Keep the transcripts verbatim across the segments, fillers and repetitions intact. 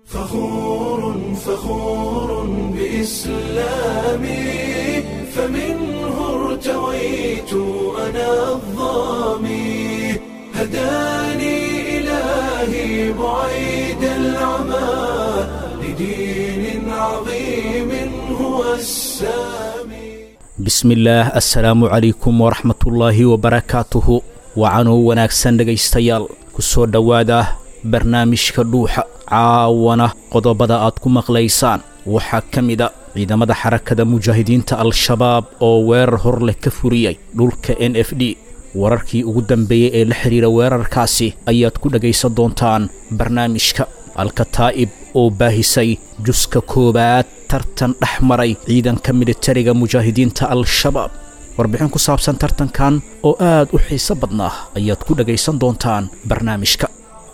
فخور فخور بإسلامي، فمنه ارتويت أنا الظامي، هداني إلهي بعيد العمى لدين عظيم هو السامي. Bismillaah, assalaamu calaykum waraxmatullaahi wabarakaatuhu. Wacanuu wanaagsan dhegaystayaal, ku soo dhowaada barnaamijka Dhuuxa. Caawana qodobada aad ku maqlaysaan waxaa ka mida ciidamada Xarakada Mujaahidiinta Al-Shabaab oo weerar hor leh ka furiyey dhulka N F D. Wararkii ugu dambeeyey ee la xidhiira weerarkaasi ayaad ku dhegaysan doontaan barnaamijka. Alkataa'ib oo baahisay juska koowaad tartan dhex maray ciidanka militariga Mujaahidiinta Al-Shabaab, warbixin ku saabsan tartankan oo aad u xiiso badnaa ayaad ku dhegaysan doontaan barnaamijka.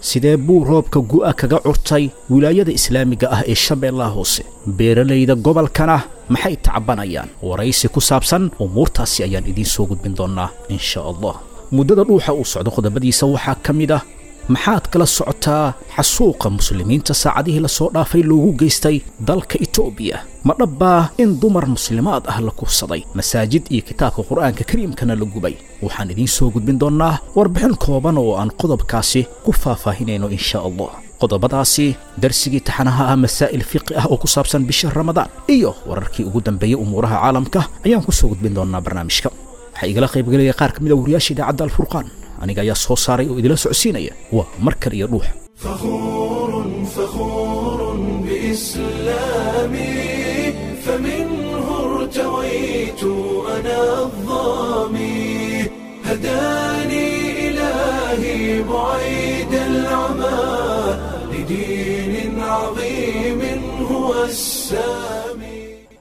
Sidee buu roobka gu'a kaga curtay wilaayada islaamiga ah ee Shabeellaha Hoose? Beeralayda gobolkana maxay tacbanayaan? Waraysi ku saabsan umuurtaasi ayaan idiin soo gudbin doonnaa, insha Allah. Muddada Dhuuxa uu socdo qodobadiisa waxaa ka mid ah: maxaad kala socotaa xasuuqa muslimiinta saacadihii la soo dhaafay loogu geystay dalka Itoobiya? Ma dhabbaa in dumar muslimaad ah la kufsaday, masaajid iyo kitaabka Qur'aanka Kariimkana la gubay? Waxaan idiin soo gudbin doonnaa warbixin kooban oo aan qodobkaasi ku faahfaahinayno, insha Allah. Qodobadaasi, darsigii taxanaha ah masaa'il fiqi ah oo ku saabsan bisha Ramadaan iyo wararkii ugu dambeeyey umuuraha caalamka ayaan ku soo gudbin doonnaa barnaamijka. Waxaa igala qaybgelaya qaar ka mid a wariyaasha idaacadda Alfurqaan. Aniga ayaa soo saaray oo idila socodsiinaya. Waa mar kale iyo Dhuuxa. فخور فخور بإسلامي، فمنه ارتويت أنا الظامي، هداني إلهي بعيد العمى لدين عظيم هو السامي.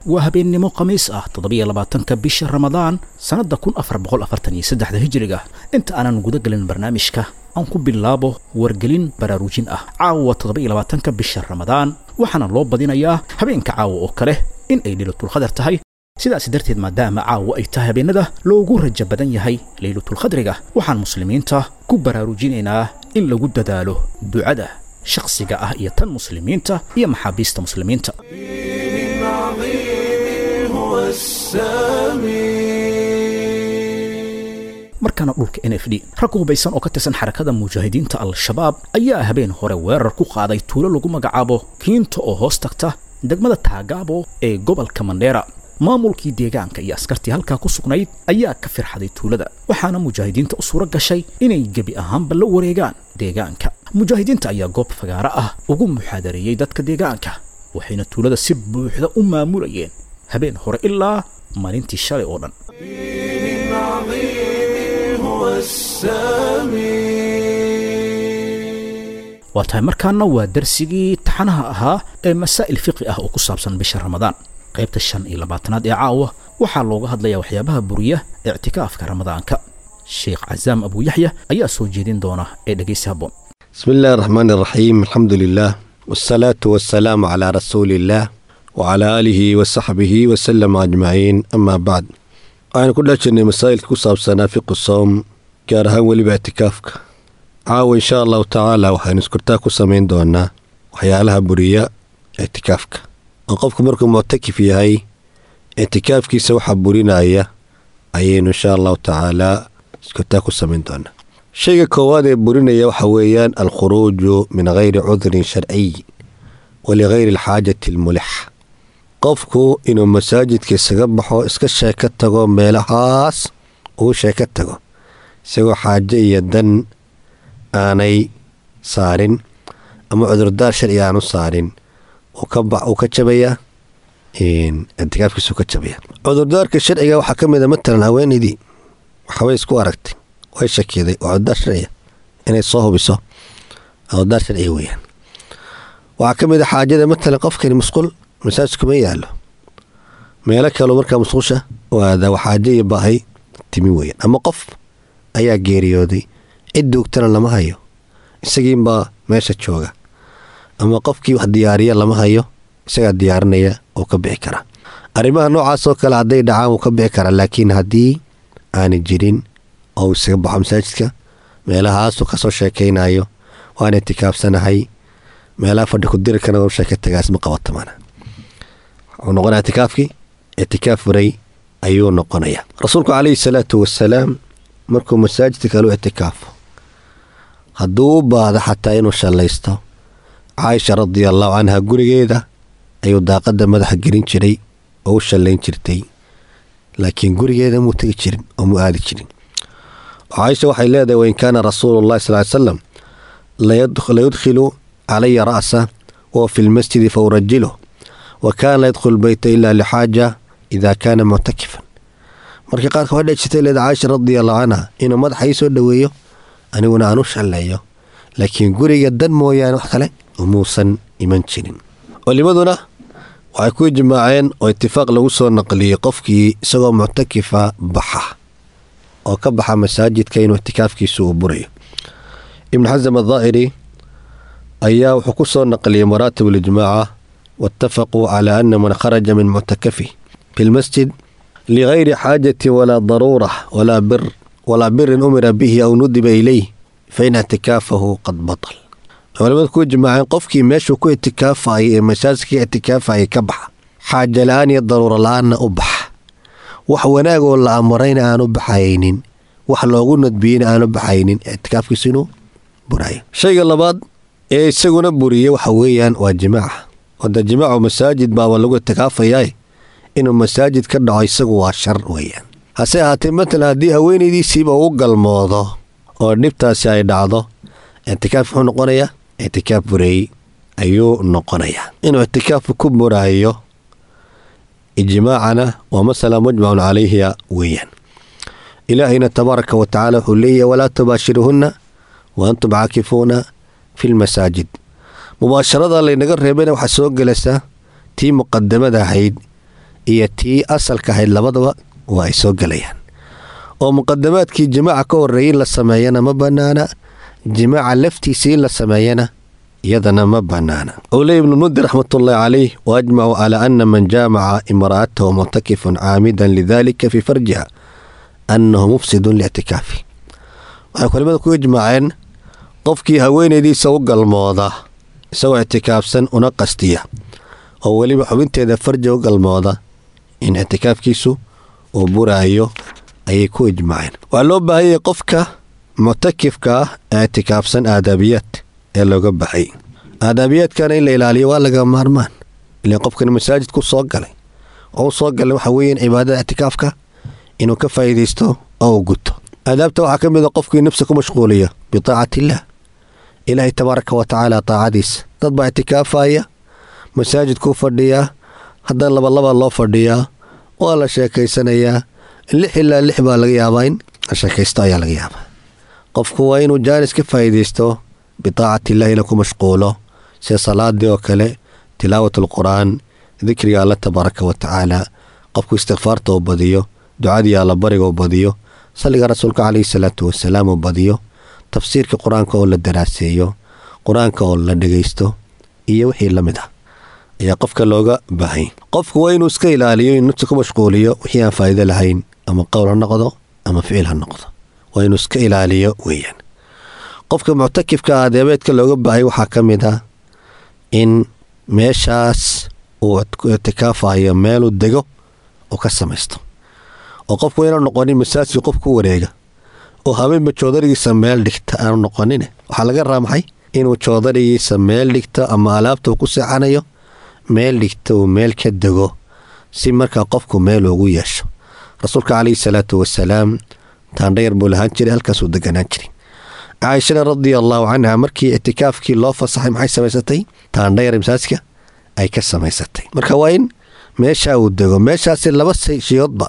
Waa habeennimo Khamiis ah, toddobiyo labaatanka bisha Ramadaan, sannadda kun afar boqol afartan iyo saddexda Hijriga. Inta aanan guda gelin barnaamijka, aan ku bilaabo wargelin baraarujin ah. Caawa toddoba iyo labaatanka bisha Ramadaan, waxaana loo badinayaa habeenka caawa oo kale in ay Leylatulqadar tahay. Sidaas darteed, maadaama caawa ay tahay habeenada loogu rajo badan yahay Leylatulqadriga, waxaan muslimiinta ku baraarujinaynaa in lagu dadaalo ducada shakhsiga ah iyo tan muslimiinta iyo maxaabiista muslimiinta. دين عظيم هو السامي. Markaana dhulka N F D, rag hubaysan oo ka tirsan Xarakada Mujaahidiinta Al-Shabaab ayaa habeen hore weerar ku qaaday tuulo lagu magacaabo Kiinta oo hoos tagta degmada Taagaabo ee gobolka Mandheera. Maamulkii deegaanka iyo askartii halkaa ku sugnayd ayaa ka firxaday tuulada, waxaana mujaahidiinta u suuro gashay inay gebi ahaanba la wareegaan deegaanka. Mujaahidiinta ayaa goob fagaaro ah ugu muxaadareeyey dadka deegaanka, waxayna tuulada si buuxda u maamulayeen habeen hore ilaa maalintii shalay oo dhan. دين عظيم هو السامي. Waa tahay, markaana waa darsigii taxanaha ahaa ee masaa'il fiqi ah oo ku saabsan bisha Ramadaan. Qaybta shan iyo labaatanaad ee caawa waxaa looga hadlayaa waxyaabaha buriya ictikaafka Ramadaanka. Sheekh Casaam Abu Yaxya ayaa soo jeedin doona ee dhegaysi habboon. بسم الله الرحمن الرحيم، الحمد لله والصلاة والسلام على رسول الله وعلى آله وصحبه وسلم أجمعين، أما بعد. Waxaynu ku dhex jirnay masaa'ilka ku saabsanaa fiqu soom, gaar ahaan weliba ictikaafka. Caawa, insha Allahu tacaala, waxaynu iskortaa ku samayn doonaa waxyaalaha buriya ictikaafka, oo qofku markuu muctakif yahay ictikaafkiisa waxa burinaya ayaynu, insha Allahu tacaala, iskortaa ku samayn doonaa. Shayga koowaad ee burinaya waxa weeyaan alkhuruuju min gayri cudrin sharciy waligayri alxaajati almulixa. Qofku inuu masaajidka isaga baxo, iska sheeko tago, meelahaas uu sheeko tago isagoo xaajo iyo dan aanay saarin ama cudurdaar sharci aanu saarin, uu ka jabaya ictikaafkiisu ka jabaya. Cudurdaarka sharciga waxaa ka mid a, matalan, haweenaydii waxbay isku aragtay, way shakiday, waa cudurdaar sharciga. Inay soo hubiso cudurdaar sharciga weeyaan. Waxaa ka mid a xaajada, matalan, qofkani musqul masaajidku ma yaalo, meelo kaleo markaa musqusha waada, waa xaajo iyo baahi timi weeyaan. Ama qof ayaa geeriyooday, cid duugtana lama hayo, isagiinbaa meesha jooga, ama qofkii wax diyaariya lama hayo, isagaa diyaarinaya oo ka bixi karaa. Arrimaha noocaas oo kale hadday dhacaan, wuu ka bixi karaa. Laakiin haddii aanay jirin oo uu isaga baxo masaajidka, meelahaasuu kasoo sheekaynayo, waan itikaafsanahay, Meelaha fadhi ku dirirkana waa sheeka tagaas ma qabato maana. Wuxuu noqonayaa ictikaafkii ictikaaf furay ayuu noqonayaa. Rasuulku calayhi salaatu wasalaam markuu masaajidka kale u ictikaafo, hadduu u baahdo xataa inuu shallaysto, Caaisha radia allahu canha gurigeeda ayuu daaqadda madaxa gelin jiray oo u shallayn jirtay, laakiin gurigeeda muu tegi jirin oo muu aadi jirin. Caaisha waxay leedahay, wain kaana rasuulu llahi sal ly salam layudkhilu calaya ra'sa wahuwa fi lmasjidi fa urajiluh, wa kaana la yadkhulu lbeyta ila lixaaja ida kaana muctakifan. Markii qaarka waxay dhici jirtay leedahay Caaisha radia allahu canha inuu madaxa ii soo dhoweeyo, aniguna aan u shalleeyo, laakiin guriga dan mooyaane wax kale umuusan iman jirin. Culimaduna waxay ku ijmaaceen oo itifaaq lagu soo naqliyey, qofkii isagoo muctakifa baxa oo ka baxa masaajidka inuu ictikaafkiisu uu burayo. Ibnu Xasam addaahiri ayaa wuxuu ku soo naqliyey maraatib alijmaaca: waatafaquu calaa ana man kharaja min muctakafi fi lmasjid ligayri xaajatin walaa daruura walaa bir walaa birin umira bihi aw nudiba ilayh fa ina ictikaafahu qad batal. Culimadu ku ijmaaceen qofkii meeshuu ku ictikaafayay ee masaajidka ictikaafayay ka baxa, xaaja la-aan iyo daruuro la-aanna u baxa, wax wanaagoo la amrayna aanu baxaynin, wax loogu nadbiyeyna aanu baxaynin, ictikaafkiisu inuu burayo. Shayga labaad ee isaguna buriyey waxa weeyaan waa jimaaca. Wada jimaacu masaajid baaba lagu ictikaafayaa, inuu masaajid ka dhaco isagu waa shar weeyaan. Hase ahaatee, matalan haddii haweenaydiisiiba uu galmoodo oo dhibtaasi ay dhacdo, ictikaaf wuxuu noqonayaa ictikaaf bureey ayuu noqonayaa. Inuu ictikaafku ku buraayo ijmaacana waa masala mujmacun calayha weeyaan. Ilaahayna tabaaraka wa tacaala wuxuu leeyahay: walaa tubaashiruhunna wa antum caakifuuna fi lmasaajid. Mubaasharada laynaga reebayna waxaa soo gelaysaa tii muqadamada ahayd iyo tii asalka ahayd, labadaba waa ay soo gelayaan. Oo muqadamaadkii jimaaca ka horreeyay in la sameeyana ma banaana, jimaaca laftiisii in la sameeyana iyadana ma banaana. Uu leey Ibnu Mundir raxmatullaahi calayh: waajmacu calaa ana man jaamaca imra'atahu muctakifun caamidan lidalika fi farjiha annahu mufsidun liictikaafi. Waxay culimada ku ijmaaceen qofkii haweenaydiisa u galmooda isagoo ictikaafsan una qastiya, oo weliba xubinteeda farja u galmooda, in ictikaafkiisu uu buraayo ayay ku ijmaaceen. Waxaa loo baahanyay qofka muctakifka ah ee ictikaafsan aadaabiyaad ee looga baxay. Aadaabiyaadkana in la ilaaliyo waa laga maarmaan, ilan qofkan masaajid ku soo galay oo u soo galay waxa weeyaan cibaadada ictikaafka inuu ka faa'iidaysto oo uu guto. Aadaabta waxaa ka mid a qofkii nafsa ku mashquuliya bitaacati illaah, Ilaahay tabaaraka wa tacaala taacadiisa. Dad baa ictikaafaya, masaajidkuu fadhiyaa, haddana labalaba loo fadhiyaa, waa la sheekaysanayaa, lix ilaa lix baa laga yaabaa in la sheekaysto ayaa laga yaabaa. Qofku waa inuu jaanis ka faa'iidaysto bitaacati illahi ina ku mashquulo, sida salaadii oo kale, tilaawat alqur'aan, dikriga Alla tabaaraka wa tacaala, qofku istikfaarta oo badiyo, ducadii Alla bariga oo badiyo, salliga Rasuulka calayhi salaatu wasalaam oo badiyo, tafsiirka Qur-aanka oo la daraaseeyo, Qur-aanka oo la dhegaysto iyo wixii la mid ah ayaa qofka looga baahanya. Qofku waa inuu iska ilaaliyo in nafta ku mashquuliyo wixii aan faa'iido lahayn, ama qowl ha noqdo ama ficil ha noqdo, waa inuu iska ilaaliyo weeyaan. Qofka muctakifka adeebeedka looga baahay waxaa ka mid ah in meeshaas uu ku ictikaafayo meeluu dego oo ka samaysto, oo qofku inaanu noqonin masaajidka qof ku wareega oo habeenba joodarigiisa meel dhigta aanu noqonin. Waxaa laga rabaa maxay? Inuu joodarigiisa meel dhigto ama alaabta uu ku seexanayo meel dhigto, uu meel ka dego, si markaa qofku meel ugu yeesho. Rasuulka calayhi salaatu wasalaam taandhayar buu lahaan jiray, halkaasuu deganaan jiray. Caaishana radia allahu canha markii ictikaafkii loo fasaxay maxay samaysatay? Taandhayar masaajidka ay ka samaysatay. Marka waa in meesha uu dego. Meeshaasi laba shiyoodba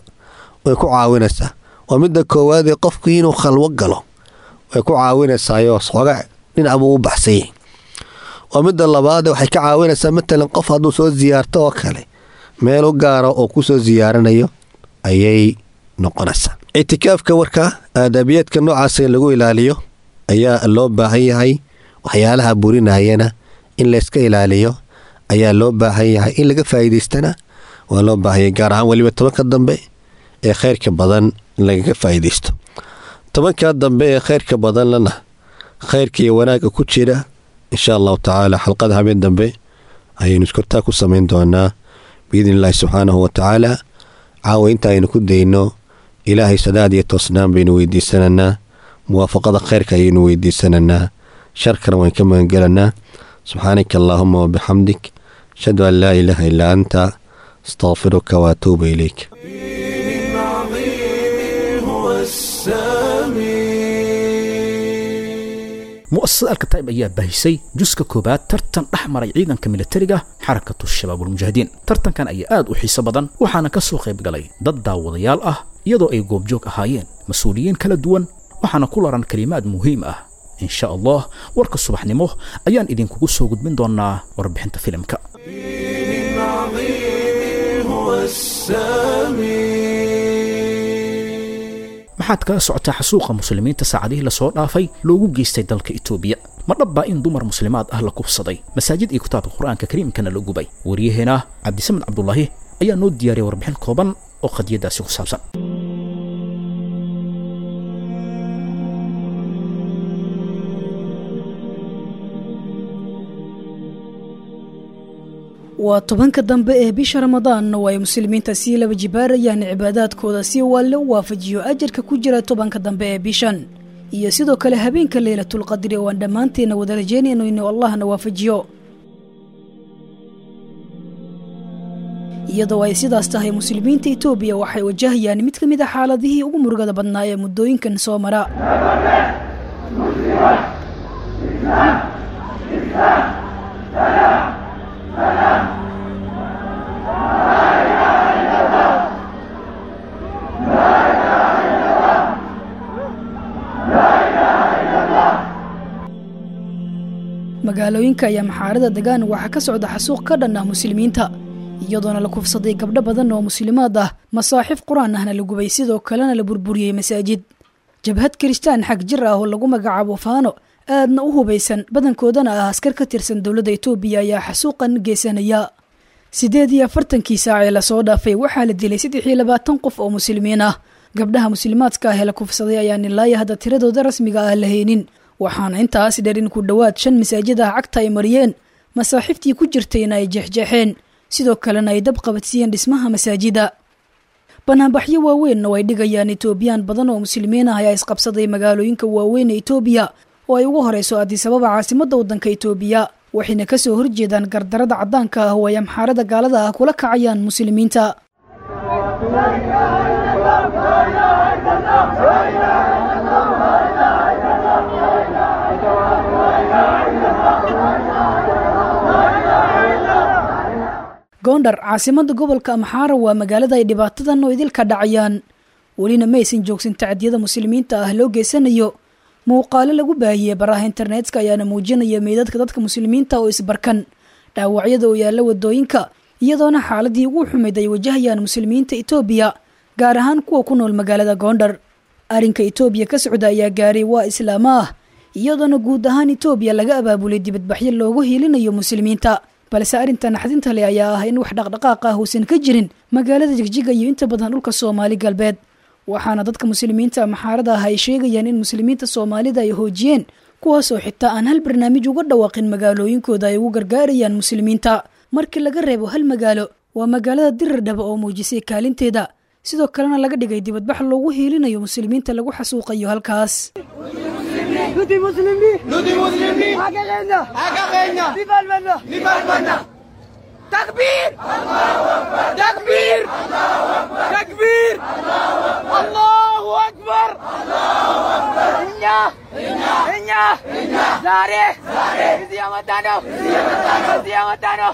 way ku caawinaysaa. Waa midda koowaadee, qofku inuu khalwo galo way ku caawinaysaayoo xooga dhinac buu u baxsanyay. Waa midda labaade, waxay ka caawinaysaa matalan qof hadduu soo siyaarto oo kale, meel u gaara oo ku soo siyaaranayo ayay noqonaysaa. Ictikaafka warka aadaabiyaadka noocaas in lagu ilaaliyo ayaa loo baahan yahay. Waxyaalaha burinayana in layska ilaaliyo ayaa loo baahan yahay, in laga faa'iidaystana waa loo baahan yahay, gaar ahaan weliba tobanka dambe ee khayrka badan in lagaga faa'iidaysto. Tobanka dambe ee khayrka badanlana khayrka iyo wanaagga ku jira, Insha Allahu tacaala xalqada habeen dambe ayaynu iskortaa ku samayn doonaa biidni illaahi subxaanahu wa tacaala. Caawa inta aynu ku dayno Ilaahay sadaad iyo toosnaan baynu weydiisananaa, muwaafaqada khayrka ayaynu weydiisananaa, sharkana waan ka magangelanaa. Subxaanaka allaahuma wabixamdik, ashhadu an laa ilaaha illaa anta, astaqfiruka waatuubu ilayk. دين عظيم هو السامي. Mu'asasada Alkataib ayaa baahisay juska koobaad tartan dhex maray ciidanka militariga Xarakatu Shabaabulmujaahidiin. Tartankan ayaa aad u xiiso badan, waxaana ka soo qayb galay dad daawadayaal ah, iyadoo ay goobjoog ahaayeen mas-uuliyiin kala duwan, waxaana ku laran kalimaad muhiim ah. Insha Allah warka subaxnimo ayaan idinkugu soo gudbin doonaa warbixinta filimka. دين عظيم هو السامي. Maxaad kala socotaa xasuuqa muslimiinta saacadihii lasoo dhaafay loogu geystay dalka Itoobiya? Ma dhabbaa in dumar muslimaad ah la kufsaday, masaajid iyo kitaabka Qur-aanka Kariimkana la gubay? Waryaheena Cabdisamed Cabdulaahi ayaa noo diyaariyay warbixin kooban oo qadiyadaasi ku saabsan. Waa tobanka dambe ee bisha Ramadaan oo ay muslimiinta sii laba jibaarayaan cibaadaadkooda si walle u waafajiyo ajarka ku jira tobanka dambe ee bishan, iyo sidoo kale habeenka Leylatulqadri oo aan dhammaanteena wada rajeynayno inuu Allahna waafajiyo. Iyadoo ay sidaas tahay, muslimiinta Itoobiya waxay wajahayaan mid ka mid a xaaladihii ugu murugada badnaa ee muddooyinkan soo mara. Magaalooyinka ayaa maxaarada degaan waxaa ka socda xasuuq ka dhan ah muslimiinta, iyadoona la kufsaday gabdho badan oo muslimaad ah, masaaxiif qur-aan ahna la gubay, sidoo kalena la burburiyey masaajid. Jabhad kiristaan xag jir ah oo lagu magacaabo Faano, aadna u hubaysan, badankoodana ah askar ka tirsan dowladda Itoobiya, ayaa xasuuqan geysanaya. Sideed iyo afartankii saac ee lasoo dhaafay waxaa la dilay saddex iyo labaatan qof oo muslimiin ah. Gabdhaha muslimaadka ah ee la kufsaday ayaan ilaa hadda tiradooda rasmiga ah la haynin, waxaana intaas dheer in ku dhowaad shan masaajid ah cagta ay mariyeen, masaaxiiftii ku jirtayna ay jeexjeexeen, sidoo kalena ay dab qabadsiiyeen dhismaha masaajida. Banaanbaxyo waaweyn oo ay dhigayaan Itoobiyaan badan oo muslimiin ah ayaa isqabsaday magaalooyinka waaweyn ee Itoobiya, oo ay ugu horeyso Addis Ababa, caasimadda waddanka Itoobiya, waxayna kasoo horjeedaan gardarada caddaanka ah oo ay amxaarada gaalada ah kula kacayaan muslimiinta. Gondar, caasimada gobolka Amxaara, waa magaalada ay dhibaatadan oo idilka dhacayaan. Welina maysan joogsan tacdiyada muslimiinta ah loo geysanayo. Muuqaalo lagu baahiyey baraha internetka ayaana muujinaya meydadka dadka muslimiinta oo isbarkan, dhaawacyada oo yaalla wadooyinka, iyadoona xaaladii ugu xumayd ay wajahayaan muslimiinta Itoobiya, gaar ahaan kuwa ku nool magaalada Gondar. Arrinka Itoobiya ka socda ayaa gaaray waa islaama ah, iyadoona guud ahaan Itoobiya laga abaabulay dibadbaxyo loogu hiilinayo muslimiinta. Balse arrinta naxdinta leh ayaa ah in wax dhaqdhaqaaq ah uusan ka jirin magaalada Jigjiga iyo inta badan dhulka Soomaali Galbeed, waxaana dadka muslimiinta maxaarada ah ay sheegayaan in muslimiinta Soomaalida ay hoojiyeen, kuwaasoo xitaa aan hal barnaamij uga dhawaaqin magaalooyinkooda ay ugu gargaarayaan muslimiinta, markii laga reebo hal magaalo, waa magaalada Dirirdhaba, oo muujisay kaalinteeda, sidoo kalena laga dhigay dibadbax loogu hiilinayo muslimiinta lagu xasuuqayo halkaas. تكبير تكبير تكبير، الله أكبر. እኛ እኛ ዛሬ እዚህ ያመጣነው እዚህ ያመጣነው።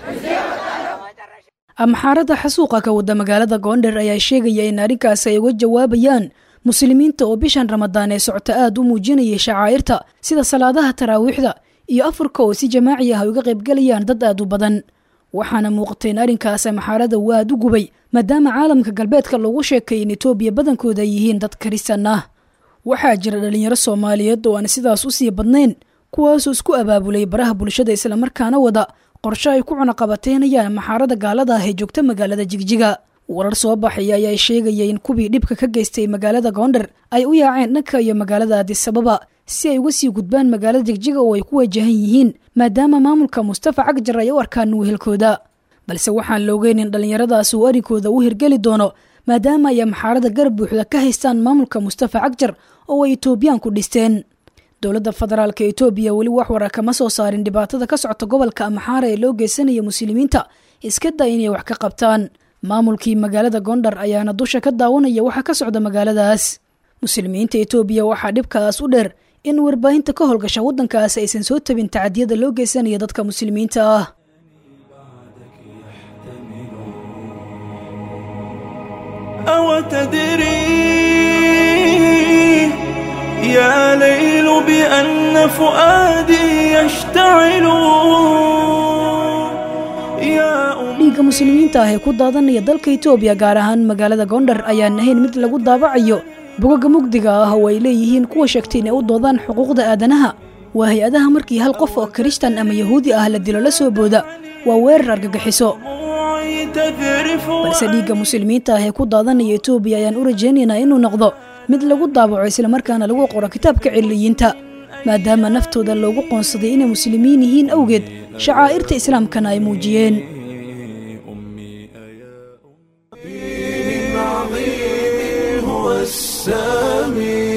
Amxaarada xasuuqa ka wada magaalada Goondher ayaa sheegaya in arrinkaas ay uga jawaabayaan muslimiinta oo bishan Ramadaan ee socota aad u muujinayay shacaa'irta, sida salaadaha taraawiixda iyo afurka, oo si jamaaci ah ay uga qaybgalayaan dad aad u badan. Waxaana muuqatay in arrinkaas amxaarada uu aad u gubay, maadaama caalamka galbeedka loogu sheekay in Itoobiya badankooda ay yihiin dad kirisan ah. Waxaa jira dhalinyaro Soomaaliyeed oo aan sidaas u sii badnayn, kuwaasoo isku abaabulay baraha bulshada, islamarkaana wada qorshe ay ku cunaqabateynayaan maxaarada gaalada ah ee joogta magaalada Jigjiga. Warar soo baxaya ayaa sheegaya in kuwii dhibka ka geystay magaalada Goondher ay u yaaceen dhanka iyo magaalada Addis Ababa, si ay uga sii gudbaan magaalada Jigjiga oo ay ku wajahan yihiin, maadaama maamulka Mustafa Cagjar ay u arkaan wehelkooda. Balse waxaan la ogeyn in dhallinyaradaas uu arrinkooda u hirgeli doono, maadaama ay Amxaarada garab buuxda ka haystaan maamulka Mustafa Cagjar oo ay Itoobiyaanku dhisteen. Dowladda federaalka Itoobiya weli wax wara kama soo saarin dhibaatada ka socota gobolka Amxaara ee loo geysanaya muslimiinta, iska day inay wax ka qabtaan. Maamulkii magaalada Gondar ayaana dusha ka daawanaya waxa ka socda magaaladaas. Muslimiinta Itoobiya waxaa dhibkaas u dheer in warbaahinta ka howlgasha waddankaas aysan soo tabin tacadiyada loo geysanaya dadka muslimiinta ah. أو تدري يا ليل بأن فؤادي يشتعل يا أم Dhiigga muslimiinta ah ee ku daadanaya dalka Itoobiya, gaar ahaan magaalada Gondar, ayaan ahayn mid lagu daabacayo bogaga mugdiga ah oo ay leeyihiin kuwa sheegtay inay u doodaan xuquuqda aadanaha. Waa hay-adaha markii hal qof oo Kirishtan ama Yahuudi ah la dilo la soo booda waa weerar argagixiso. دموعي تذرف. Balse dhiigga muslimiinta ah ee ku daadanaya Itoobiya ayaan u rajaynaynaa inuu noqdo mid lagu daabaco islamarkaana lagu qoro kitaabka ciliyiinta, maadaama naftooda loogu qoonsaday inay muslimiin yihiin awgeed, shacaa'irta islaamkana ay muujiyeen. أمي أيا أمي عظيم هو السميع.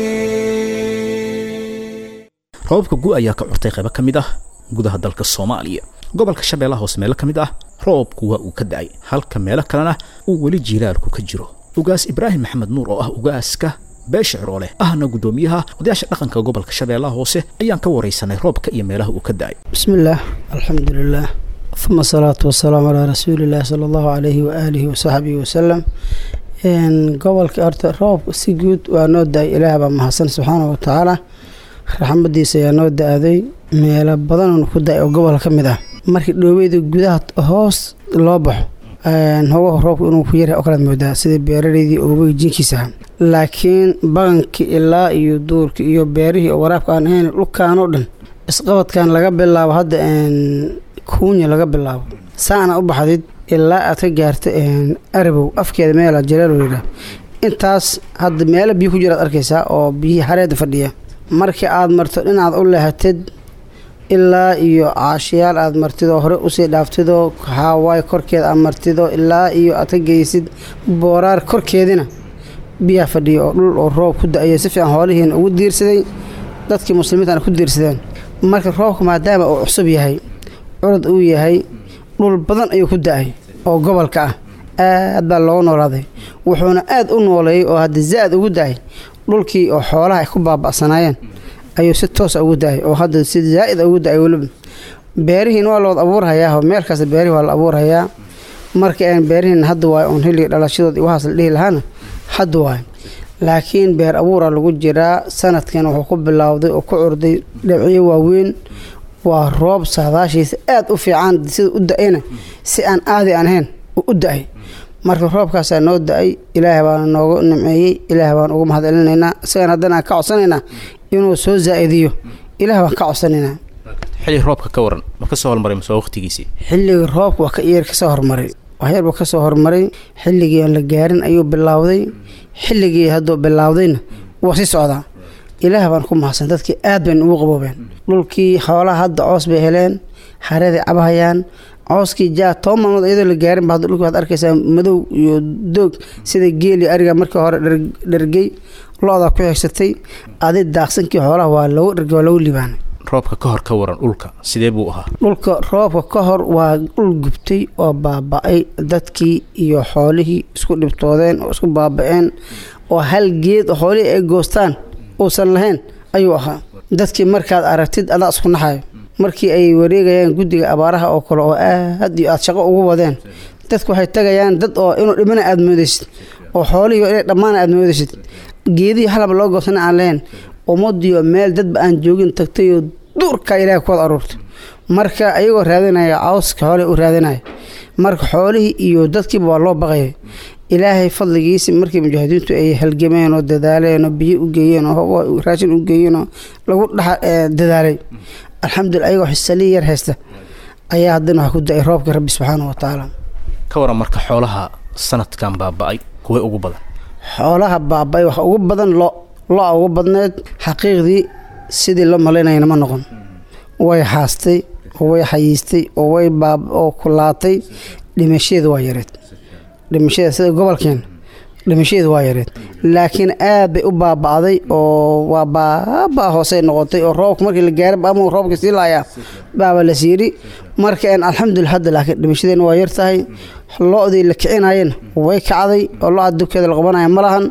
Roobabka gu ayaa ka curtay qaybo ka mid ah gudaha dalka Soomaaliya. Gobolka Shabeellaha Hoose meelo ka mid ah roobku waa uu ka da'ay, halka meelo kalena uu weli jiilaalku ka jiro. Ugaas Ibraahim Maxamed Nuur oo ah ugaaska beesha Ciroole ahna guddoomiyaha odayaasha dhaqanka gobolka Shabeellaha Hoose ayaan ka waraysanay roobka iyo meelaha uu ka da'ay. بسم الله، الحمد لله، ثم الصلاة والسلام على رسول الله صلى الله عليه وآله وصحبه وسلم. إن gobolka horta roob si guud waa noo da-ay. Ilaah baa mahadsan subxaana wa tacaala, raxmadiisa ayaa noo da-day. Meelo badan oon ku da-ay oo gobol ka mid ah, markii dhoobeyda gudaha hoos loo baxo hogaha roobka inuu ku yaryahay oo kalaad moodaa, sida beeraleydii oobay jinkiisa ahaa. Laakiin bagankii ilaa iyo duurkii iyo beerihii oo waraabka aan ahayn, dhulkaan oo dhan isqabadkan laga bilaabo hadda kuunya laga bilaabo saana u baxdid ilaa aad ka gaarto Arabow afkeeda meela Jaleelo yidhaah, intaas hadda meelo biyo ku jiraad arkaysaa oo biyihii xareeda fadhiya. Markii aad marto dhinacaad u leehatid ilaa iyo Caashiyaal aad martidoo hore usii dhaaftidoo Haawaay korkeeda aad martido ilaa iyo aad ka geysid Booraar korkeedina biyaha fadhiya oo dhul oo roob ku da-ayo si fiican, hoolihiina ugu diirsaday, dadkii muslimiintana ku diirsadeen. Marka roobka maadaama uu cusub yahay, curad uu yahay, dhul badan ayuu ku da-ay oo gobolka ah, aad baa looga noolaaday. Wuxuuna aad u nooleeyey oo hadda zaad ugu da-ay dhulkii oo xoolaha ay ku baaba'sanaayeen ayuu si toosa ugu da-ay, oo hadda si zaa'id ugu da-ay. Weliba beerihiin waa lawada abuurhayaa, meel kasta beerihii waa la abuurhayaa. Marka aan beerihiin hadda waayo oon xilliga dhalashadood iyo waxaas la dhihi lahaana hadda waayo, laakiin beer abuura lagu jiraa. Sanadkan wuxuu ku bilowday oo ku curday dhibciyo waaweyn. Waa roob saadaashiisa aad u fiican, sida u da-ayna si aan aadi aan ahayn u da-ay. Marka roobkaasaa noo da-ay, Ilaahay baana noogu nimceeyey, Ilaah baan ugu mahadcelinaynaa. Isagan haddana aan ka codsanaynaa inuu soo zaa-idiyo, Ilaah baan ka codsanaynaa. Xilli roobka ka waran, ma ka soo hormaray mase waa waqtigiisii? Xilliga roobka waa ka yar kasoo hormaray, waxyar buu kasoo hormaray. Xilligii aan la gaarin ayuu bilowday, xilligii hadduu bilowdayna waa sii socdaa. Ilaah baan ku mahadsan, dadkii aad bayna ugu qaboobeen. Dhulkii xoolaha hadda coos bay heleen, xareeday cabahayaan cooskii jaa. Toban maalmood iyadoo la gaarin ba hadda dhulki waxaad arkaysaa madow iyo doog, sida geel iyo ariga markii hore dhergey, lo-da ku xigsatay. Adi daaqsankii xoolaha waa loogu dhergey, waa loogu liibaanay. Roobka ka hor ka waran, dhulka sidee buu ahaa? Dhulka roobka ka hor waa dhul gubtay oo baaba-ay, dadkii iyo xoolihii isku dhibtoodeen oo isku baaba-een, oo hal geed oo xoolihii ay goostaan uusan lahayn ayuu ahaa. Dadkii markaad aragtid adaa isku naxayo. Markii ay wareegayaan guddiga abaaraha oo kale oo aad iyo aad shaqo ugu wadeen, dadku waxay tagayaan dad oo inuu dhimana aada moodaysid, oo xoolihii inay dhammaana aada moodaysid, geedihii halaba loo goosana aan lahayn, ummadiyo meel dadba aan joogin tagtayoo duurkaa Ilaahay ku wada aruurtay. Marka ayagoo raadinaya cawska xoolihii u raadinaya, marka xoolihii iyo dadkiiba waa loo baqayay. Ilaahay fadligiisi markii mujaahidiintu ay halgameen oo dadaaleen oo biyo u geeyeen oo raashin u geeyeen oo lagu dhex dadaalay, alxamdulillah, ayagoo xisali yar haysta ayaa haddana waxaa ku da-ay roobka Rabbi subxaanahu wa tacaala. Ka waran marka xoolaha sanadkan baaba-ay, kuway ugu badan? Xoolaha baaba-ay waxa ugu badan lo, lo-a ugu badneed xaqiiqdii. Sidii loo malaynayana ma noqon. Way haastay oo way xayiistay oo way baab oo kulaatay. Dhimashadeedu waa yareed, dhimashada sida gobolkeen dhimashadeedu waa yareed, laakiin aad bay u baaba'day oo waa baaba hoosey noqotay oo roobka markii la gaaray ama roobka sii laayaa baaba la siiri. Marka een alxamdulillah hadda laakiin dhimashadeena waa yar tahay. Lo'dii la kicinayeen way kacday oo lo'da dubkeeda la qabanaya ma lahan,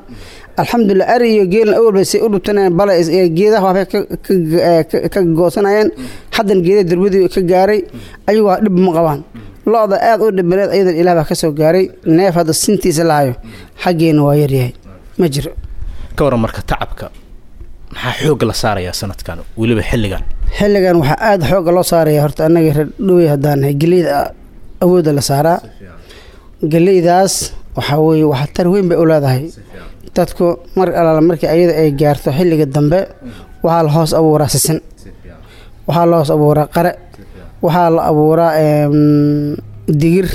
alxamdulillah. Ari iyo geelna awal bay say u dhubtanayeen, bale geedaha waxbay ka ka goosanayeen, haddan geedaha durbadii ka gaaray, ayagu waa dhib ma qabaan. Lo'da aad u dhibaneed ayadan ilaah baa ka soo gaaray. Neef hadda sintiisa lahayo xaggeena waa yaryahay, ma jiro. Ka waran marka tacabka, maxaa xoogga la saarayaa sanadkan, weliba xilligan? Xilligan waxaa aada xoogga loo saaraya horta annaga reer Dhowey haddaan nahay geleyda awoodda la saaraa. Geleydaas waxaa weeye waxtar weyn bay u leedahay dadku. Mar alaala markii ayada ay gaarto xilliga dambe, waxaa la hoos abuuraa sisin, waxaa la hoos abuuraa qare, waxaa la abuuraa digir,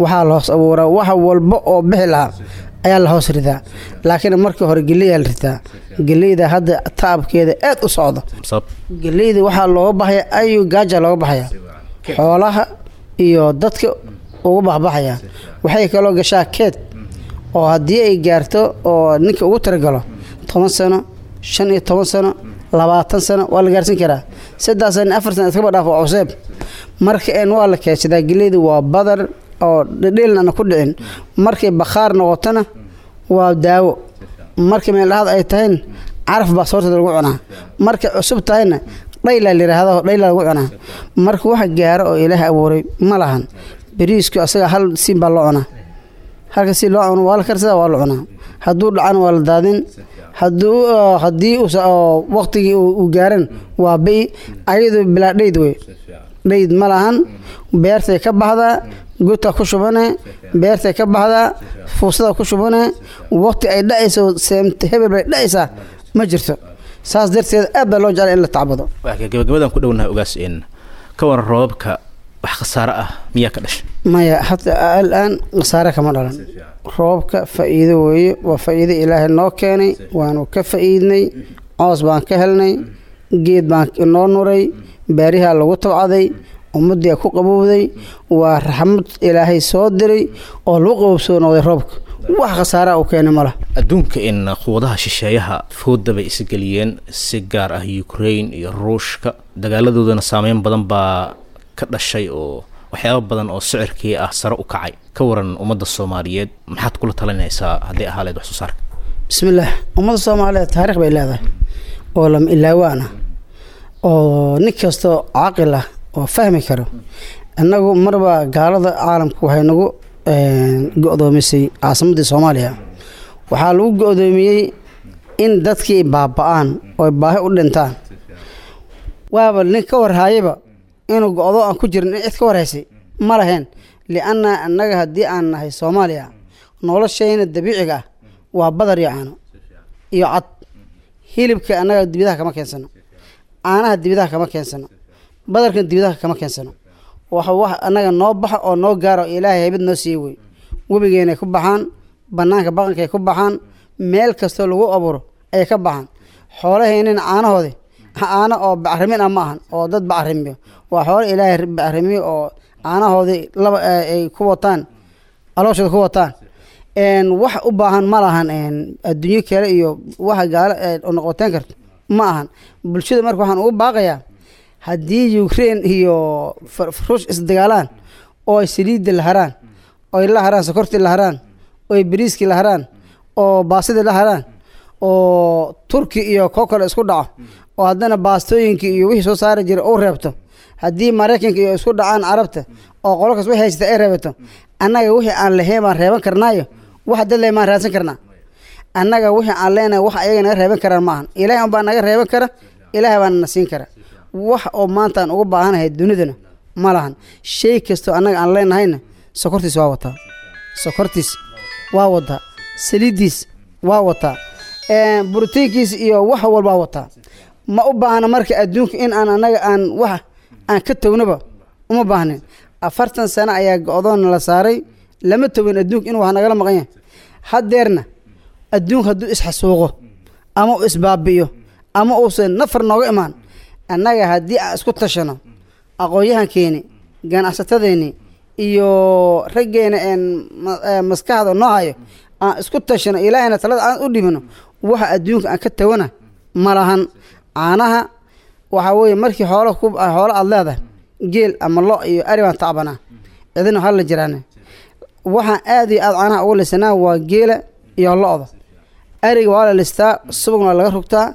waxaa la hoos abuuraa wax walba oo bixi lahaa ayaa la hoos ridaa. Laakiin markii hore geleydaa la ritaa. Geleyda hadda tacabkeeda aad u socdo. Geleyda waxaa looga baxaya ayu gaaja looga baxaya, xoolaha iyo dadka ugu baxbaxaya. Waxay kaloo gashaa keed oo haddii ay gaarto oo ninka ugu talagalo toban sano, shan iyo toban sano, labaatan sano waa la gaarsin karaa. Saddex sano, afar sano iskaba dhaaf, waa cuseeb. Marka een waa la keedsadaa. Geleyda waa badar oo dhedheelna aan ku dhicin. Markay bakhaar noqotona waa daawo, markay meeldhaxad ay tahayna caraf baa soorteeda lagu cunaa, markay cusub tahayna dhaylaa la yidhaahdo, dhaylaa lagu cunaa. Marka wax gaaro oo Ilaahay abuuray ma lahan. Bariisku asaga hal siin baa loo cunaa, halka si loo cuno waa la karsadaa, waa la cunaa. Hadduu dhacana waa la daadin, hadduu haddii waqtigii uu gaaran waa bi ayadu bilaa dhayd wey, dhayd ma lahan. Beertay ka baxdaa, godka ku shubane, beertay ka baxdaa, fuusada ku shubane. Waqti ay dhacayso seemta hebel bay dhacaysaa ma jirto. Saas darteed aad baa loo jeclay in la tacbado. Gabagabadan ku dhownahay ogaas, in ka waran roobabka, wax khasaare ah miyaa ka dhashay? Maya, hata alaan khasaare kama dhalan. Roobka faa'iido weeye, waa faa'iido Ilaahay noo keenay, waanu ka faa'iidnay. Coos baan ka helnay, geed baan noo nuray, baarihaa lagu tabcaday, ummadii ku qabowday. Waa raxmad Ilaahay soo diray oo lagu qabowsoo noqday roobka. Wax khasaaraha uu keenay ma laha. Adduunka in quwadaha shisheeyaha fooda bay isgeliyeen, si gaar ah Ukraine iyo Ruushka, dagaaladoodana saameyn badan baa ka dhashay oo waxyaabo badan oo sicirkii ah sare u kacay. Ka waran ummadda Soomaaliyeed, maxaad kula talinaysaa hadday ahaa lahayd wax soo saarka? Bismillaah, ummadda Soomaaliyeed taariikh bay leedahay oo lama ilaawaan ah oo nin kastoo caaqil ah oo fahmi karo. Innagu marba gaalada caalamku waxay nagu go'doomisay caasimaddii Soomaaliya. Waxaa lagu go'doomiyey in dadkii baaba'aan oo baahi u dhintaan. Waaba nin ka warhaayaba inuu go'do aan ku jirin, in cid ka warhaysay ma lahayn, lianna annaga haddii aan nahay Soomaaliya noloshayna dabiiciga ah waa badar iyo caano iyo cad. Hilibka annaga dibidaha kama keensano, caanaha dibidaha kama keensano, badarkan dibidaha kama keensano. Waxa wax annaga noo baxa oo noo gaaro Ilaahay haybad noo siiyey wey. Webigeenay ku baxaan, bannaanka baqankay ku baxaan, meel kastoo lagu abuuro ayay ka baxaan. Xoolaheenina caanahoodi caano oo bacrimin ah ma ahan oo dad bacrimiyo, waa xoolo Ilaahay bacrimiyo oo caanahoodii laba ay ku wataan, calooshooda ku wataan. Wax u baahan ma lahan adduunyo kale iyo waxa gaalo noqoteen karto ma ahan. Bulshada marka waxaan ugu baaqayaa, haddii Ukraine iyo Ruush isdagaalaan oo ay saliidda la haraan, oo ay la haraan sokortii la haraan, oo ay bariiskii la haraan, oo baasidii la haraan, oo Turki iyo koo kale isku dhaco, oo haddana baastooyinkii iyo wixii soo saari jiray uu reebto, haddii Maraykanka iyo isku dhacaan Carabta oo qolo kas wixii haysata ay reebato, annaga wixii aan lahayn baan reeban karnaayo, wax dad leh maan raadsan karnaa. Annaga wixii aan leenahay wax ayaga naga reeban karaan maahan. Ilaahay unbaa naga reeban kara, Ilaahay baana na siin kara. Wax oo maanta aan ugu baahanahay dunidana ma lahan. Shay kastoo annaga aan leenahayna sokortiis waa wataa, sokortiis waa wataa, saliiddiis waa wataa, borotiinkiis iyo wax walbaa wataa. Ma u baahna marka adduunka in aan annaga aan wax aan ka tognaba uma baahnin. Afartan sano ayaa go'doon la saaray, lama togin adduunka inuu wax nagala maqan yahay. Haddeerna adduunka hadduu isxasuuqo ama uu isbaabi'iyo ama uusan nafar nooga imaan. Annaga haddii aan isku tashano, aqoon-yahankeeni, ganacsatadeeni iyo raggeena een maskaxda noo hayo aan isku tashano, ilaahayna talada aan u dhibino, waxa adduunka aan ka tawana ma lahan. Caanaha waxaa weeye markii xoolo ku xoolo aada leedahay, geel ama lo iyo ari baan tacbanaa, cidina hal la jiraane. Waxaan aada iyo aada caanaha ugu lisanaa waa geela iyo lo-da. Ariga waa la listaa, subagna waa laga rugtaa,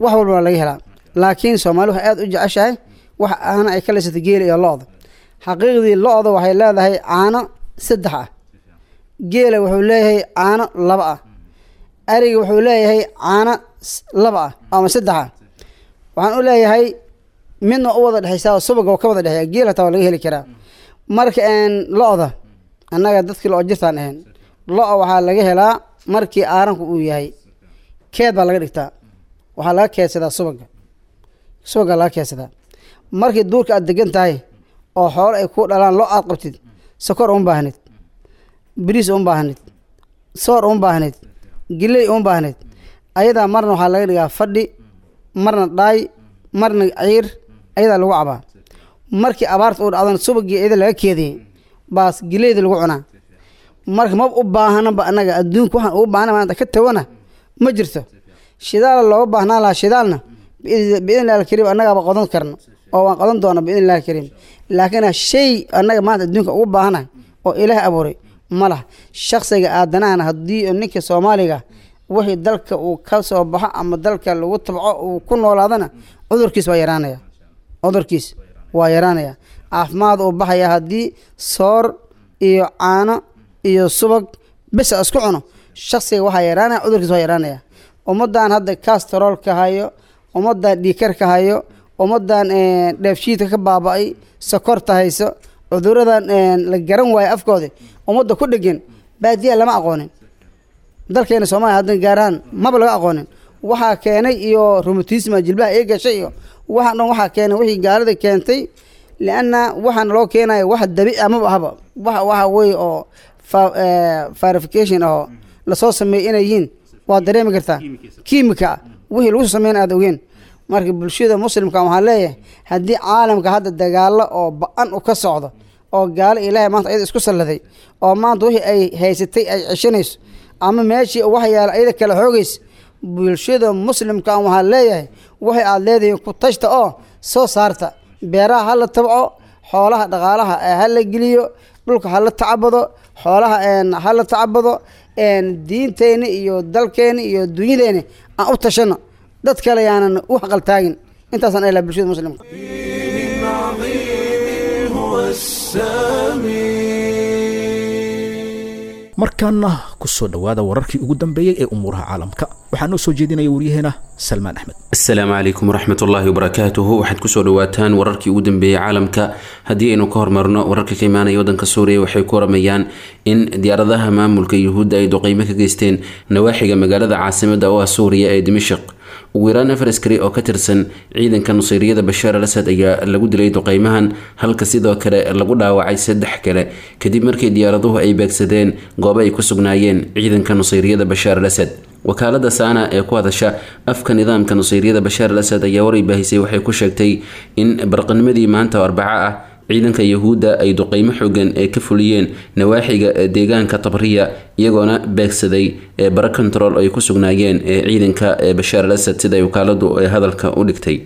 wax walba waa laga helaa. Laakiin soomaali waxay aada u jeceshahay wax aana ay ka lisata geela iyo lo-da. Xaqiiqdii lo-da waxay leedahay caano saddex ah, geela wuxuu leeyahay caano laba ah, ariga wuxuu leeyahay caano laba ah ama saddex ah. Waxaan u leeyahay midna u wada dhexeysaa oo subaga oo ka wada dhexeeya, geel hataa waa laga heli karaa. Marka lo-da annaga dadkii lo jirtaan ahayn, lo-a waxaa laga helaa markii aaranku uu yahay keed baa laga dhigtaa, waxaa laga keedsadaa subaga, subaga laga keedsadaa. Markii duurka aad degan tahay oo xoolo ay ku dhalaan, lo aad qabtid, sokor uma baahnid, bariis uma baahnid, soor uma baahnid, giley uma baahnid. Ayadaa marna waxaa laga dhigaa fadhi, marna dhaay, marna ciir, ayadaa lagu cabaa. Markii abaarta uu dhacdona subagii iyada laga keediyey baas gileyda lagu cunaa. Marka maba u baahanaba annaga adduunka, waxaan ugu baahana maanta ka tawana ma jirto. Shidaala looga baahnaan lahaa, shidaalna biidn illahi alkariim annagaaba qodan karno oo waan qodan doona biidn illahi alkariim. Laakiin shay annaga maanta adduunka ugu baahanahay oo ilaah abuuray ma laha. Shaksiga aadanahana haddii ninka soomaaliga wixii dalka uu ka soo baxo ama dalka lagu tabco uu ku noolaadana, cudurkiis waa yaraanaya, cudurkiis waa yaraanaya, caafimaad uu baxaya. Haddii soor iyo caano iyo subag bisa isku cuno shaksiga, waxaa yaraanaya cudurkiis waa yaraanaya. Ummaddan hadda kastaroolka hayo, ummaddan dhiikarka hayo, ummaddan dheefshiidka ka baaba-ay, sokorta hayso, cuduradan la garan waayo afkooda ummadda ku dhegan, baadiyaha lama aqoonin. Dalkeena soomaaliya haddan gaarahaan maba laga aqoonin. Waxaa keenay iyo romatisma jilbaha ee gashay iyo waxaan dhan waxaa keenay wixii gaalada keentay. Lianna waxaana loo keenaya wax dabiici amaba ahaba, wax waxa weye oo verification oo lasoo sameeyey inay yihiin waa dareemi kartaa, kiimika wixii lagu soo sameyn aada ogeen. Marka bulshada muslimka waxaan leeyahay, haddii caalamka hadda dagaalo oo ba-an u ka socdo oo gaalo ilaahay maanta ayada isku salladay oo maanta wixii ay haysatay ay ceshanayso ama meeshii wax yaala ayada kala xoogaysa, bulshada muslimka waxaan leeyahay waxay aada leedihiin ku tashta oo soo saarta. Beeraha ha la tabco, xoolaha dhaqaalaha ha la geliyo, dhulka ha la tacabado, xoolaha ha la tacabado. Diinteeni iyo dalkeeni iyo dunyadeeni aan u tashano, dad kale yaanan u haqaltaagin. Intaasaan elaa bulshada muslimka. Markaana ku soo dhowaada wararkii ugu dambeeyey ee umuuraha caalamka. Waxaa noo soo jeedinaya waryaheena Salmaan Axmed. Asalaamu calaykum waraxmatullaahi wabarakaatuhu. Waxaad kusoo dhawaataan wararkii ugu dambeeyey caalamka. Haddii aynu ka hormarno wararka ka imaanaya wadanka Suuriya, waxay ku waramayaan in diyaaradaha maamulka Yuhuudda ay duqeymo ka geysteen nawaaxiga magaalada caasimada oo ah Suuriya ee Dimashq. Ugu yaraan afar askari oo ka tirsan ciidanka nusayriyada Bashaar al Asad ayaa lagu dilay duqeymahan, halka sidoo kale lagu dhaawacay saddex kale, kadib markii diyaaraduhu ay beegsadeen goobo ay ku sugnaayeen ciidanka nusayriyada Bashaar al Asad. Wakaalada Saana ee ku hadasha afka nidaamka nusayriyada Bashaar al Asad ayaa waray baahisay waxay ku sheegtay in barqanimadii maanta oo Arbaco ah ciidanka Yahuudda ay duqeymo xoogan ee ka fuliyeen nawaaxiga deegaanka Tabriya, iyagoona beegsaday bara control ay ku sugnaayeen ciidanka Bashaar al Asad, sida ay wakaaladu hadalka u dhigtay.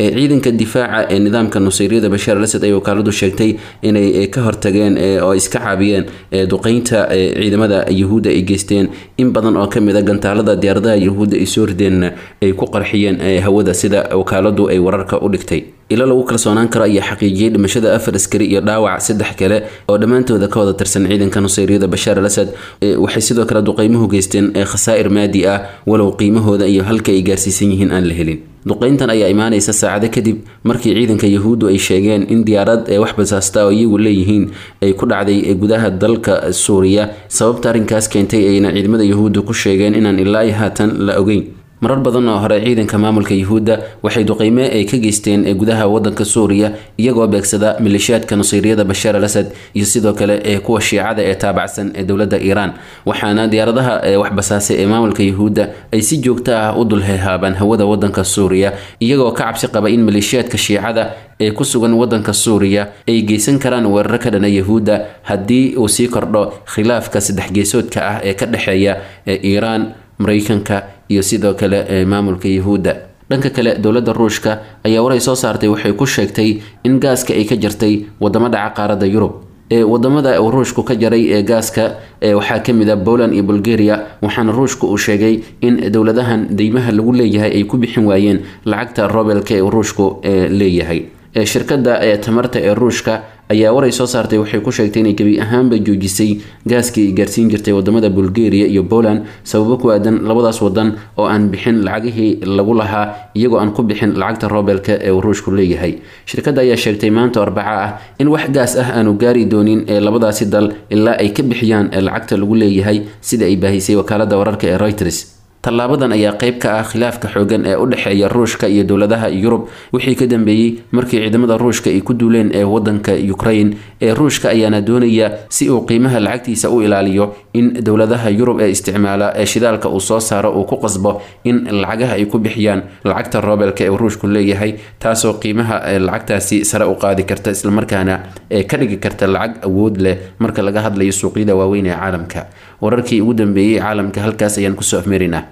Ciidanka difaaca ee nidaamka nusayriyada Bashaar al Asad ay wakaaladu sheegtay inay ka hortageen oo iska caabiyeen duqeynta ciidamada Yahuudda ay geysteen, in badan oo kamid a gantaalada diyaaradaha Yahuudda ay soo rideenna ay ku qarxiyeen hawada, sida wakaaladu ay wararka u dhigtay. Ilo lagu kalsoonaan karo ayaa xaqiijiyey dhimashada afar askari iyo dhaawac saddex kale oo dhammaantooda ka wada tirsan ciidanka nusayriyada Bashaar al Asad. Waxay sidoo kale duqeymuhu geysteen khasaa'ir maadi ah, walow qiimahooda iyo halka ay gaarsiisan yihiin aan la helin. Duqeyntan ayaa imaanaysa saacado kadib markii ciidanka Yahuuddu ay sheegeen in diyaarad ee wax basaasta oo iyagu leeyihiin ay ku dhacday gudaha dalka Suuriya. Sababta arrinkaas keentay ayna ciidamada Yahuuddu ku sheegeen inaan ilaa iyo haatan la ogeyn. Marar badan oo hore ciidanka maamulka Yuhuudda waxay duqeyme ay ka geysteen gudaha wadanka Suuriya, iyagoo beegsada maleeshiyaadka nusayriyada Bashaar al Asad iyo sidoo kale ee kuwa shiicada ee taabacsan ee dowladda Iiraan. Waxaana diyaaradaha wax basaasay ee maamulka Yuhuudda ay si joogto ah u dul heehaabaan hawada wadanka Suuriya, iyagoo ka cabsi qaba in maleeshiyaadka shiicada ee ku sugan wadanka Suuriya ay geysan karaan weeraro ka dhana Yuhuudda haddii uu sii kordho khilaafka saddex geesoodka ah ee ka dhexeeya Iiraan, Mareykanka iyo sidoo kale maamulka Yuhuudda. Dhanka kale, dowladda Ruushka ayaa waray soo saartay waxay ku sheegtay in gaaska ay ka jartay wadamo dhaca qaaradda Yurub. Ee wadamada uu Ruushku ka jaray ee gaaska waxaa ka mid ah Poland iyo Bulgaria, waxaana Ruushku uu sheegay in dowladahan deymaha lagu leeyahay ay ku bixin waayeen lacagta roobelka ee Ruushku leeyahay. Shirkadda tamarta ee Ruushka ayaa waray soo saartay waxay ku sheegtay inay gebi ahaanba joojisay gaaskii ay gaarsiin jirtay wadamada Bulgaria iyo Poland, sababo ku aadan labadaas wadan oo aan bixin lacagihii lagu lahaa, iyagoo aan ku bixin lacagta roobelka ee uu Ruushku leeyahay. Shirkadda ayaa sheegtay maanta Arbaca ah in wax gaas ah aanu gaari doonin ee labadaasi dal ilaa ay ka bixiyaan lacagta lagu leeyahay, sida ay baahisay wakaaladda wararka ee Reuters. Tallaabadan ayaa qayb ka ah khilaafka xoogan ee u dhexeeya Ruushka iyo dowladaha Yurub wixii ka dambeeyey markii ciidamada Ruushka ay ku duuleen ee wadanka Ukraine. Ee Ruushka ayaana doonaya si uu qiimaha lacagtiisa u ilaaliyo in dowladaha Yurub ee isticmaala ee shidaalka uu soo saaro uu ku qasbo in lacagaha ay ku bixiyaan lacagta roobelka ee Ruushku leeyahay, taasoo qiimaha lacagtaasi sare u qaadi karta islamarkaana ee ka dhigi karta lacag awood leh marka laga hadlayo suuqyada waaweyn ee caalamka. Wararkii ugu dambeeyey caalamka halkaas ayaan kusoo afmeerinaa.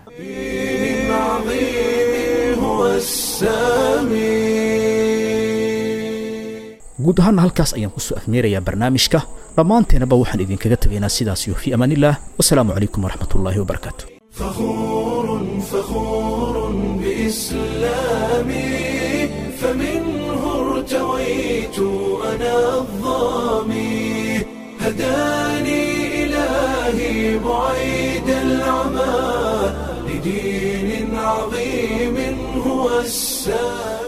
Guud ahaana halkaas ayaan kusoo afmeerayaa barnaamijka. Dhammaanteenaba waxaan idinkaga tegaynaa sidaas iyo fi amaanillaah, wasalaamu calaykum waraxmatullaahi wabarakaatu. فخور فخور بإسلامي، فمنه ارتويت أنا الظامي، هداني إلهي بعيد العمى لدين عظيم هو السامي.